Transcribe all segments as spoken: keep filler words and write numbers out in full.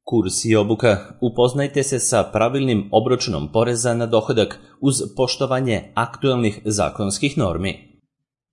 Kurs i obuka. Upoznajte se sa pravilnim obračunom poreza na dohodak uz poštovanje aktuelnih zakonskih normi.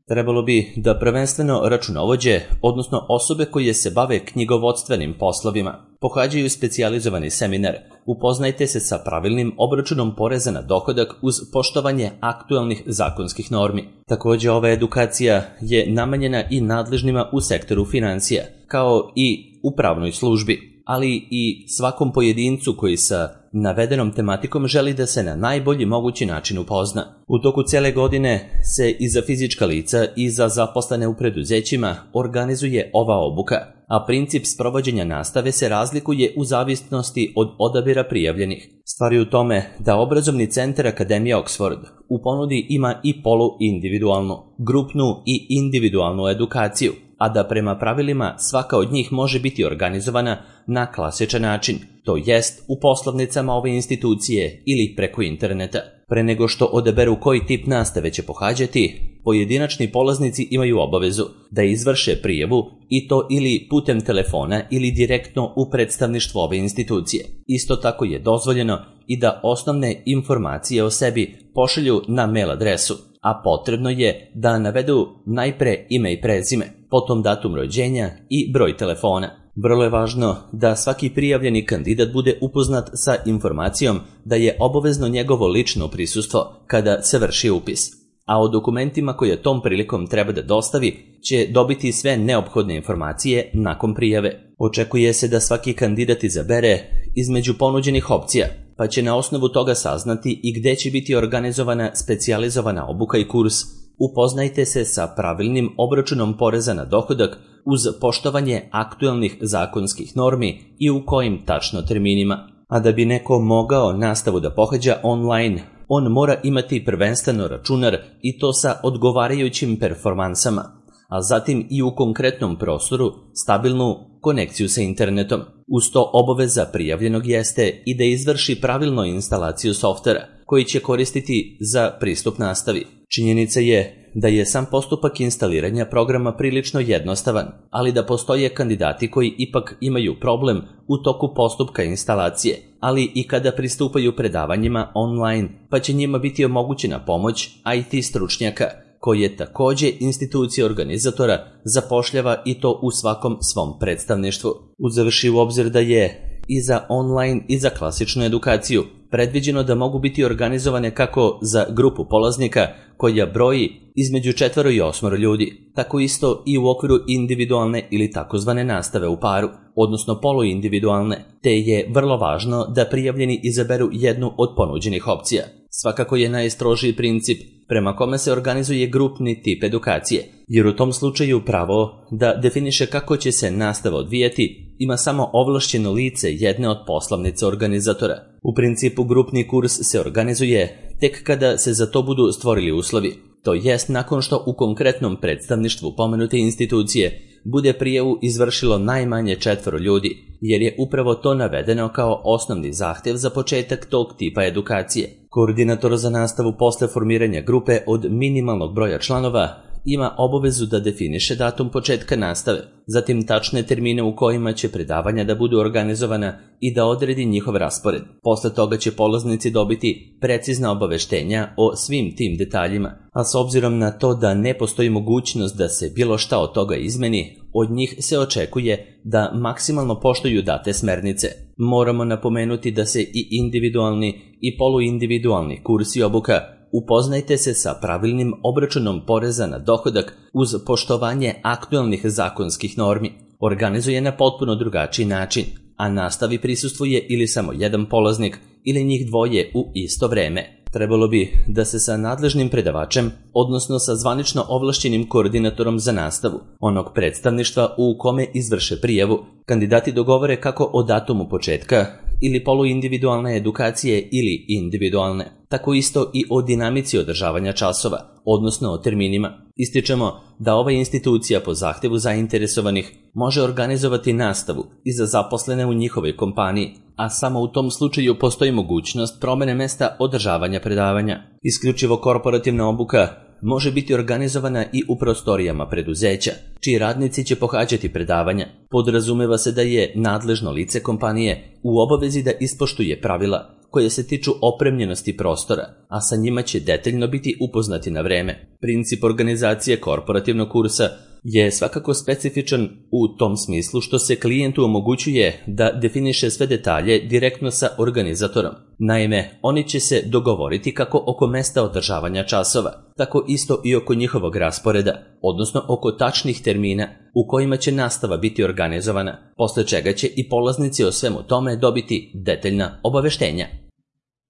Trebalo bi da prvenstveno računovođe, odnosno osobe koje se bave knjigovodstvenim poslovima, pohađaju specijalizovani seminar. Upoznajte se sa pravilnim obračunom poreza na dohodak uz poštovanje aktuelnih zakonskih normi. Također, ova edukacija je namenjena i nadležnima u sektoru financija, kao i u pravnoj službi, ali i svakom pojedincu koji sa navedenom tematikom želi da se na najbolji mogući način upozna. U toku cele godine se i za fizička lica i za zaposlene u preduzećima organizuje ova obuka, a princip sprovođenja nastave se razlikuje u zavisnosti od odabira prijavljenih. Stvar je u tome da obrazovni centar Akademije Oxford u ponudi ima i poluindividualnu, grupnu i individualnu edukaciju, a da prema pravilima svaka od njih može biti organizovana na klasičan način, to jest u poslovnicama ove institucije ili preko interneta. Pre nego što odaberu koji tip nastave će pohađati, pojedinačni polaznici imaju obavezu da izvrše prijavu i to ili putem telefona ili direktno u predstavništvo ove institucije. Isto tako je dozvoljeno i da osnovne informacije o sebi pošalju na mail adresu, a potrebno je da navedu najpre ime i prezime, potom datum rođenja i broj telefona. Vrlo je važno da svaki prijavljeni kandidat bude upoznat sa informacijom da je obavezno njegovo lično prisustvo kada se vrši upis, a o dokumentima koje tom prilikom treba da dostavi će dobiti sve neophodne informacije nakon prijave. Očekuje se da svaki kandidat izabere između ponuđenih opcija, pa će na osnovu toga saznati i gde će biti organizovana specijalizovana obuka i kurs. Upoznajte se sa pravilnim obračunom poreza na dohodak uz poštovanje aktuelnih zakonskih normi i u kojim tačno terminima. A da bi neko mogao nastavu da pohađa online, on mora imati prvenstveno računar i to sa odgovarajućim performansama, a zatim i u konkretnom prostoru stabilnu konekciju sa internetom. Uz to obaveza prijavljenog jeste i da izvrši pravilno instalaciju softvera koji će koristiti za pristup nastavi. Činjenica je da je sam postupak instaliranja programa prilično jednostavan, ali da postoje kandidati koji ipak imaju problem u toku postupka instalacije, ali i kada pristupaju predavanjima online, pa će njima biti omogućena pomoć I T stručnjaka, koje također institucija organizatora zapošljava i to u svakom svom predstavništvu. Uzevši u obzir da je i za online i za klasičnu edukaciju predviđeno da mogu biti organizovane kako za grupu polaznika koja broji između četvoro i osmoro ljudi, tako isto i u okviru individualne ili takozvane nastave u paru, odnosno poluindividualne, te je vrlo važno da prijavljeni izaberu jednu od ponuđenih opcija. Svakako je najstrožiji princip prema kome se organizuje grupni tip edukacije, jer u tom slučaju pravo da definiše kako će se nastava odvijati ima samo ovlašćeno lice jedne od poslovnica organizatora. U principu grupni kurs se organizuje tek kada se za to budu stvorili uslovi, to jest nakon što u konkretnom predstavništvu pomenute institucije bude prijavu izvršilo najmanje četvoro ljudi, jer je upravo to navedeno kao osnovni zahtjev za početak tog tipa edukacije. Koordinator za nastavu posle formiranja grupe od minimalnog broja članova ima obavezu da definiše datum početka nastave, zatim tačne termine u kojima će predavanja da budu organizovana i da odredi njihov raspored. Posle toga će polaznici dobiti precizna obaveštenja o svim tim detaljima, a s obzirom na to da ne postoji mogućnost da se bilo šta od toga izmeni, od njih se očekuje da maksimalno poštuju date smernice. Moramo napomenuti da se i individualni i poluindividualni kurs i obuka upoznajte se sa pravilnim obračunom poreza na dohodak uz poštovanje aktuelnih zakonskih normi organizuje na potpuno drugačiji način, a nastavi prisustvuje ili samo jedan polaznik ili njih dvoje u isto vreme. Trebalo bi da se sa nadležnim predavačem, odnosno sa zvanično ovlašćenim koordinatorom za nastavu, onog predstavništva u kome izvrše prijavu, kandidati dogovore kako o datumu početka ili poluindividualne edukacije ili individualne, tako isto i o dinamici održavanja časova, odnosno o terminima. Ističemo da ova institucija po zahtjevu zainteresovanih može organizovati nastavu i za zaposlene u njihovoj kompaniji, a samo u tom slučaju postoji mogućnost promene mesta održavanja predavanja. Isključivo korporativna obuka može biti organizovana i u prostorijama preduzeća, čiji radnici će pohađati predavanja. Podrazumeva se da je nadležno lice kompanije u obavezi da ispoštuje pravila koje se tiču opremljenosti prostora, a sa njima će detaljno biti upoznati na vreme. Princip organizacije korporativnog kursa je svakako specifičan u tom smislu što se klijentu omogućuje da definiše sve detalje direktno sa organizatorom. Naime, oni će se dogovoriti kako oko mesta održavanja časova, tako isto i oko njihovog rasporeda, odnosno oko tačnih termina u kojima će nastava biti organizovana, posle čega će i polaznici o svemu tome dobiti detaljna obaveštenja.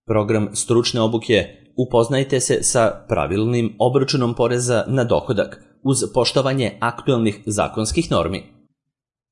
Program stručne obuke: upoznajte se sa pravilnim obračunom poreza na dohodak uz poštovanje aktuelnih zakonskih normi.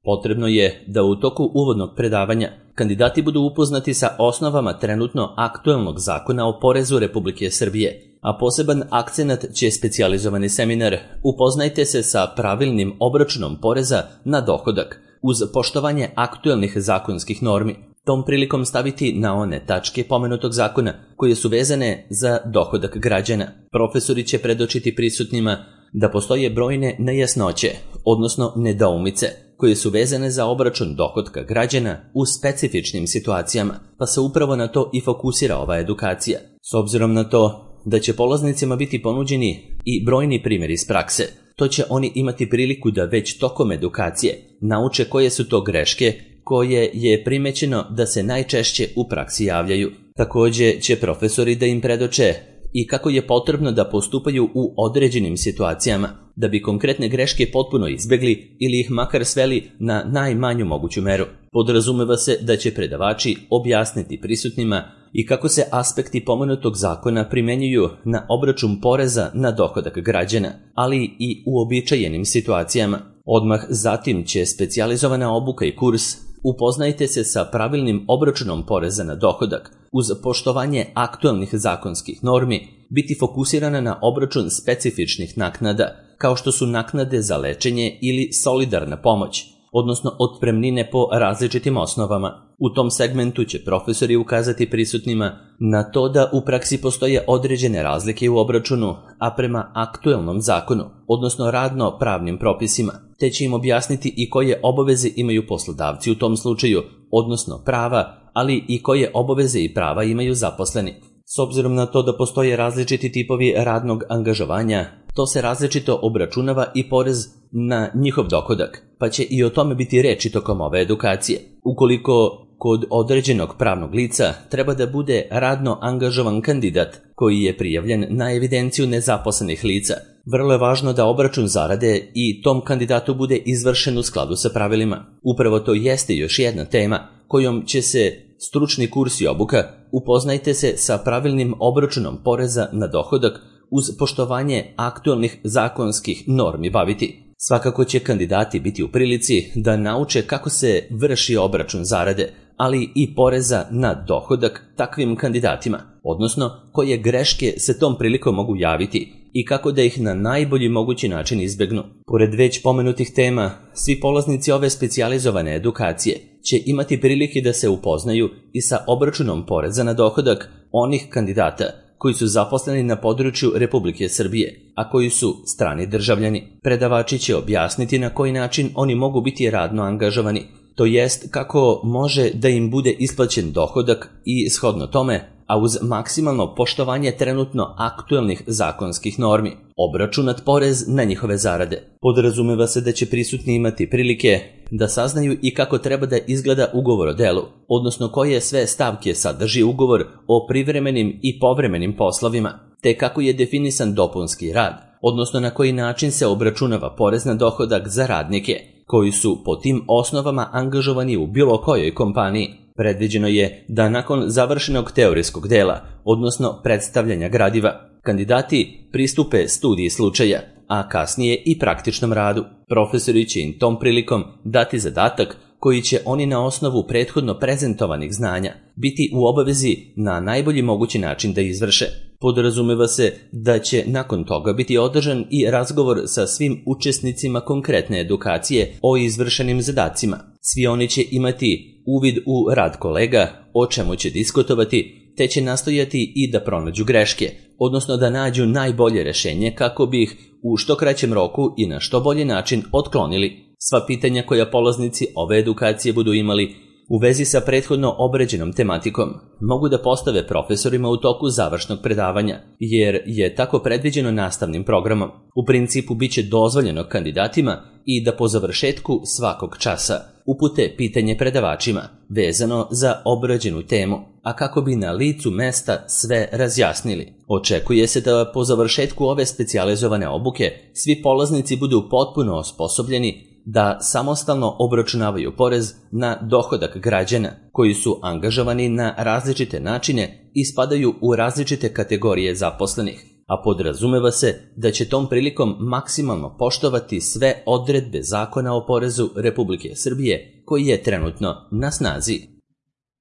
Potrebno je da u toku uvodnog predavanja kandidati budu upoznati sa osnovama trenutno aktuelnog zakona o porezu Republike Srbije, a poseban akcenat će specijalizovani seminar "Upoznajte se sa pravilnim obračunom poreza na dohodak uz poštovanje aktuelnih zakonskih normi" tom prilikom staviti na one tačke pomenutog zakona koje su vezane za dohodak građana. Profesori će predočiti prisutnima da postoje brojne nejasnoće, odnosno nedoumice, koje su vezane za obračun dohotka građana u specifičnim situacijama, pa se upravo na to i fokusira ova edukacija. S obzirom na to da će polaznicima biti ponuđeni i brojni primjeri iz prakse, to će oni imati priliku da već tokom edukacije nauče koje su to greške koje je primećeno da se najčešće u praksi javljaju. Također će profesori da im predoče i kako je potrebno da postupaju u određenim situacijama, da bi konkretne greške potpuno izbjegli ili ih makar sveli na najmanju moguću meru. Podrazumeva se da će predavači objasniti prisutnima i kako se aspekti pomenutog zakona primenjuju na obračun poreza na dohodak građana, ali i u uobičajenim situacijama. Odmah zatim će specijalizovana obuka i kurs "Upoznajte se sa pravilnim obračunom poreza na dohodak uz poštovanje aktuelnih zakonskih normi" biti fokusirana na obračun specifičnih naknada, kao što su naknade za lečenje ili solidarna pomoć, odnosno otpremnine po različitim osnovama. U tom segmentu će profesori ukazati prisutnima na to da u praksi postoje određene razlike u obračunu, a prema aktuelnom zakonu, odnosno radno pravnim propisima, te će im objasniti i koje obaveze imaju poslodavci u tom slučaju, odnosno prava, ali i koje obaveze i prava imaju zaposleni. S obzirom na to da postoje različiti tipovi radnog angažovanja, to se različito obračunava i porez na njihov dohodak, pa će i o tome biti reči tokom ove edukacije. Ukoliko kod određenog pravnog lica treba da bude radno angažovan kandidat koji je prijavljen na evidenciju nezaposlenih lica, vrlo je važno da obračun zarade i tom kandidatu bude izvršen u skladu sa pravilima. Upravo to jeste još jedna tema kojom će se stručni kurs i obuka "Upoznajte se sa pravilnim obračunom poreza na dohodak uz poštovanje aktuelnih zakonskih normi" baviti. Svakako će kandidati biti u prilici da nauče kako se vrši obračun zarade, ali i poreza na dohodak takvim kandidatima, odnosno koje greške se tom prilikom mogu javiti i kako da ih na najbolji mogući način izbjegnu. Pored već pomenutih tema, svi polaznici ove specijalizovane edukacije će imati prilike da se upoznaju i sa obračunom poreza na dohodak onih kandidata koji su zaposleni na području Republike Srbije, a koji su strani državljani. Predavači će objasniti na koji način oni mogu biti radno angažovani, to jest kako može da im bude isplaćen dohodak i shodno tome, a uz maksimalno poštovanje trenutno aktuelnih zakonskih normi, obračunat porez na njihove zarade. Podrazumeva se da će prisutni imati prilike da saznaju i kako treba da izgleda ugovor o delu, odnosno koje sve stavke sadrži ugovor o privremenim i povremenim poslovima, te kako je definisan dopunski rad, odnosno na koji način se obračunava porez na dohodak za radnike koji su po tim osnovama angažovani u bilo kojoj kompaniji. Predviđeno je da nakon završenog teorijskog dela, odnosno predstavljanja gradiva, kandidati pristupe studiji slučaja, a kasnije i praktičnom radu. Profesori će im tom prilikom dati zadatak koji će oni na osnovu prethodno prezentovanih znanja biti u obavezi na najbolji mogući način da izvrše. Podrazumeva se da će nakon toga biti održan i razgovor sa svim učesnicima konkretne edukacije o izvršenim zadacima. Svi oni će imati uvid u rad kolega, o čemu će diskutovati te će nastojati i da pronađu greške, odnosno da nađu najbolje rešenje kako bi ih u što kraćem roku i na što bolji način otklonili sva pitanja koja polaznici ove edukacije budu imali u vezi sa prethodno obrađenom tematikom. Mogu da postave profesorima u toku završnog predavanja, jer je tako predviđeno nastavnim programom. U principu biće dozvoljeno kandidatima i da po završetku svakog časa upute pitanje predavačima vezano za obrađenu temu, a kako bi na licu mesta sve razjasnili. Očekuje se da po završetku ove specijalizovane obuke svi polaznici budu potpuno osposobljeni da samostalno obračunavaju porez na dohodak građana koji su angažovani na različite načine i spadaju u različite kategorije zaposlenih, a podrazumeva se da će tom prilikom maksimalno poštovati sve odredbe Zakona o porezu Republike Srbije koji je trenutno na snazi.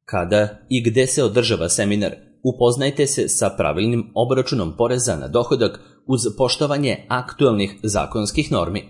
Kada i gde se održava seminar? Upoznajte se sa pravilnim obračunom poreza na dohodak uz poštovanje aktuelnih zakonskih normi.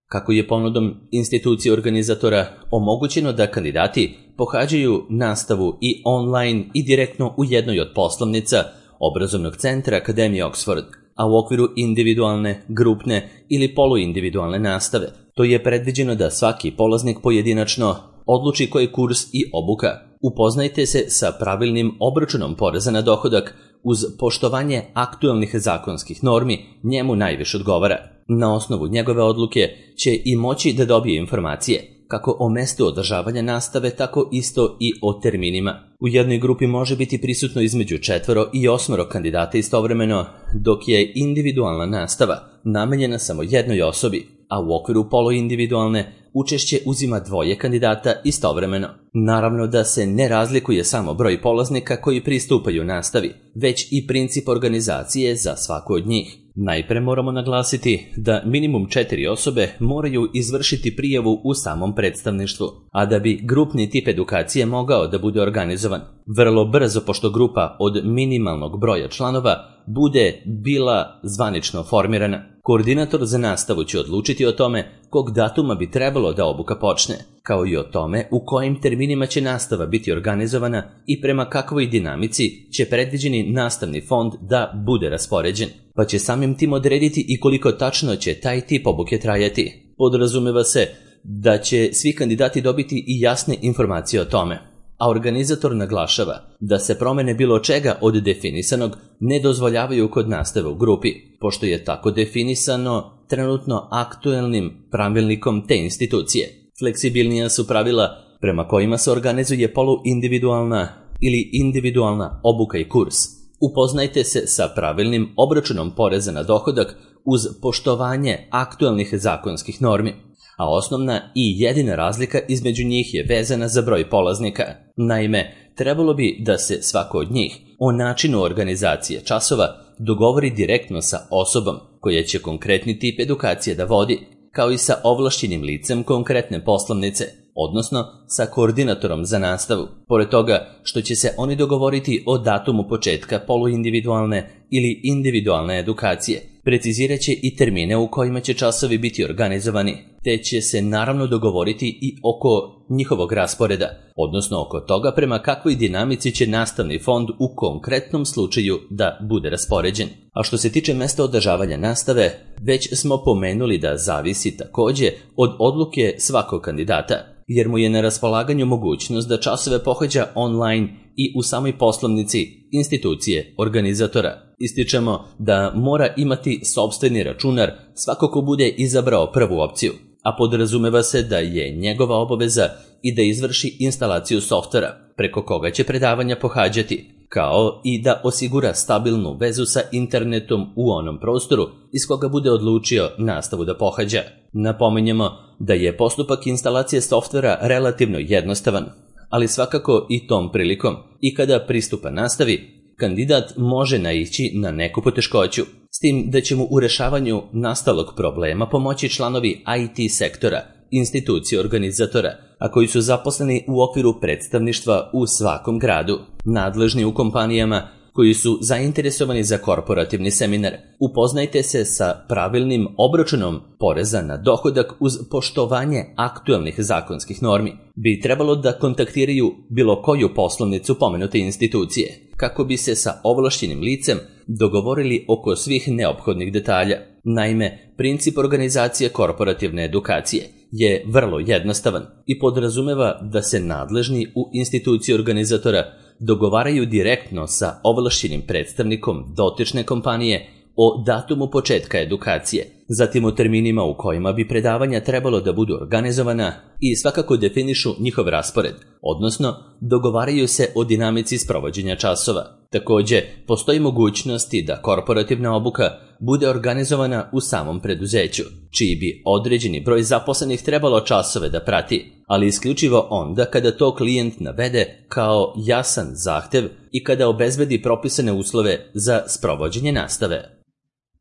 Kako je ponudom institucije organizatora omogućeno da kandidati pohađaju nastavu i online i direktno u jednoj od poslovnica obrazovnog centra Akademije Oxford, a u okviru individualne, grupne ili poluindividualne nastave. To je predviđeno da svaki polaznik pojedinačno odluči koji kurs i obuka. Upoznajte se sa pravilnim obračunom poreza na dohodak uz poštovanje aktuelnih zakonskih normi njemu najviše odgovara. Na osnovu njegove odluke će i moći da dobije informacije kako o mestu održavanja nastave, tako isto i o terminima. U jednoj grupi može biti prisutno između četvoro i osmoro kandidata istovremeno, dok je individualna nastava namenjena samo jednoj osobi, a u okviru poluindividualne učešće uzima dvoje kandidata istovremeno. Naravno da se ne razlikuje samo broj polaznika koji pristupaju nastavi, već i princip organizacije za svaku od njih. Najpre moramo naglasiti da minimum četiri osobe moraju izvršiti prijavu u samom predstavništvu, a da bi grupni tip edukacije mogao da bude organizovan vrlo brzo, pošto grupa od minimalnog broja članova bude bila zvanično formirana. Koordinator za nastavu će odlučiti o tome kog datuma bi trebalo da obuka počne, kao i o tome u kojim terminima će nastava biti organizovana i prema kakvoj dinamici će predviđeni nastavni fond da bude raspoređen, pa će samim tim odrediti i koliko tačno će taj tip obuke trajati. Podrazumeva se da će svi kandidati dobiti i jasne informacije o tome, a organizator naglašava da se promene bilo čega od definisanog ne dozvoljavaju kod nastave u grupi, pošto je tako definisano trenutno aktuelnim pravilnikom te institucije. Fleksibilnija su pravila prema kojima se organizuje poluindividualna ili individualna obuka i kurs. Upoznajte se sa pravilnim obračunom poreza na dohodak uz poštovanje aktuelnih zakonskih normi, a osnovna i jedina razlika između njih je vezana za broj polaznika. Naime, trebalo bi da se svako od njih o načinu organizacije časova dogovori direktno sa osobom koja će konkretni tip edukacije da vodi, kao i sa ovlašćenim licem konkretne poslovnice, odnosno sa koordinatorom za nastavu. Pored toga što će se oni dogovoriti o datumu početka poluindividualne ili individualne edukacije, precizirat će i termine u kojima će časovi biti organizovani, te će se naravno dogovoriti i oko njihovog rasporeda, odnosno oko toga prema kakvoj dinamici će nastavni fond u konkretnom slučaju da bude raspoređen. A što se tiče mesta održavanja nastave, već smo pomenuli da zavisi takođe od odluke svakog kandidata, jer mu je na raspolaganju mogućnost da časove pohađa online i u samoj poslovnici institucije organizatora. Ističemo da mora imati sopstveni računar svako ko bude izabrao prvu opciju, a podrazumeva se da je njegova obaveza i da izvrši instalaciju softvera preko koga će predavanja pohađati, kao i da osigura stabilnu vezu sa internetom u onom prostoru iz koga bude odlučio nastavu da pohađa. Napominjemo da je postupak instalacije softvera relativno jednostavan, ali svakako i tom prilikom i kada pristupa nastavi, kandidat može naići na neku poteškoću, s tim da će mu u rešavanju nastalog problema pomoći članovi I T sektora, institucije organizatora, a koji su zaposleni u okviru predstavništva u svakom gradu, nadležni u kompanijama koji su zainteresovani za korporativni seminar. Upoznajte se sa pravilnim obračunom poreza na dohodak uz poštovanje aktuelnih zakonskih normi. Bi trebalo da kontaktiraju bilo koju poslovnicu pomenute institucije, kako bi se sa ovlašćenim licem dogovorili oko svih neophodnih detalja. Naime, princip organizacije korporativne edukacije je vrlo jednostavan i podrazumeva da se nadležni u instituciji organizatora dogovaraju direktno sa ovlašćenim predstavnikom dotične kompanije o datumu početka edukacije, zatim o terminima u kojima bi predavanja trebalo da budu organizovana i svakako definišu njihov raspored, odnosno dogovaraju se o dinamici sprovođenja časova. Takođe, postoji mogućnosti da korporativna obuka bude organizovana u samom preduzeću, čiji bi određeni broj zaposlenih trebalo časove da prati, ali isključivo onda kada to klijent navede kao jasan zahtev i kada obezbedi propisane uslove za sprovođenje nastave.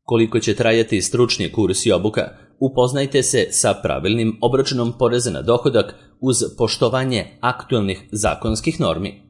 Koliko će trajati stručni kurs i obuka, upoznajte se sa pravilnim obračunom poreza na dohodak uz poštovanje aktuelnih zakonskih normi.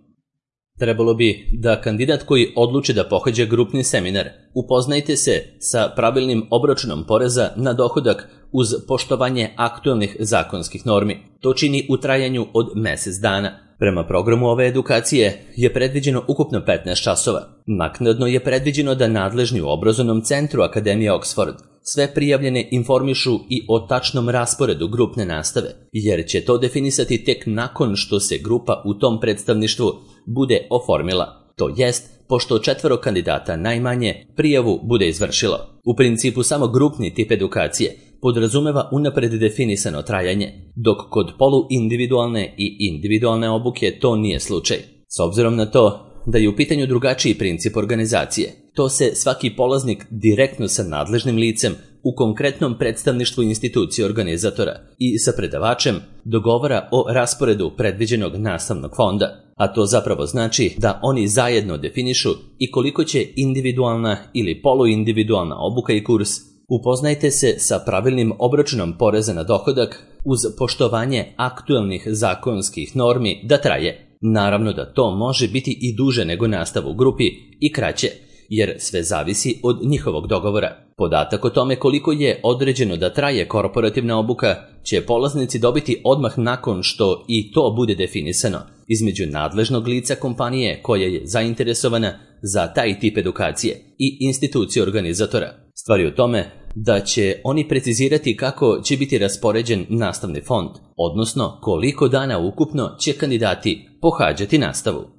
Trebalo bi da kandidat koji odluči da pohađa grupni seminar, upoznajte se sa pravilnim obračunom poreza na dohodak uz poštovanje aktuelnih zakonskih normi. To čini u trajanju od mesec dana. Prema programu ove edukacije je predviđeno ukupno petnaest časova. Naknadno je predviđeno da nadležni u obrazovnom centru Akademije Oxford sve prijavljene informišu i o tačnom rasporedu grupne nastave, jer će to definisati tek nakon što se grupa u tom predstavništvu bude oformila, to jest pošto četvoro kandidata najmanje prijavu bude izvršilo. U principu samo grupni tip edukacije podrazumeva unapred definisano trajanje, dok kod poluindividualne i individualne obuke to nije slučaj. S obzirom na to da je u pitanju drugačiji princip organizacije, to se svaki polaznik direktno sa nadležnim licem u konkretnom predstavništvu institucije organizatora i sa predavačem dogovara o rasporedu predviđenog nastavnog fonda, a to zapravo znači da oni zajedno definišu i koliko će individualna ili poluindividualna obuka i kurs. Upoznajte se sa pravilnim obračunom poreza na dohodak uz poštovanje aktuelnih zakonskih normi da traje. Naravno da to može biti i duže nego nastava u grupi i kraće, jer sve zavisi od njihovog dogovora. Podatak o tome koliko je određeno da traje korporativna obuka će polaznici dobiti odmah nakon što i to bude definisano između nadležnog lica kompanije koja je zainteresovana za taj tip edukacije i institucije organizatora. Stvar je u tome da će oni precizirati kako će biti raspoređen nastavni fond, odnosno koliko dana ukupno će kandidati pohađati nastavu.